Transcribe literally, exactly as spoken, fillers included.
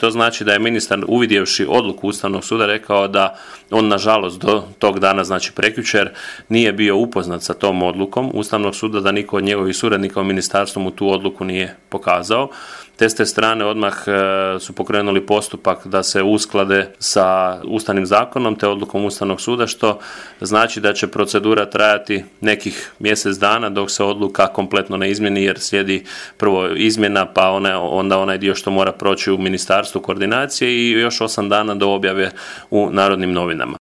To znači da je ministar, uvidjevši odluku Ustavnog suda, rekao da on nažalost do tog dana, znači prekjučer, nije bio upoznat sa tom odlukom Ustavnog suda, da niko od njegovih suradnika u ministarstvu mu tu odluku nije pokazao. Te s te strane odmah su pokrenuli postupak da se usklade sa Ustavnim zakonom te odlukom Ustavnog suda, što znači da će procedura trajati nekih mjesec dana dok se odluka kompletno ne izmjeni, jer slijedi prvo izmjena, pa ona, onda onaj dio što mora proći u ministarstvu koordinacije i još osam dana do objave u Narodnim novinama.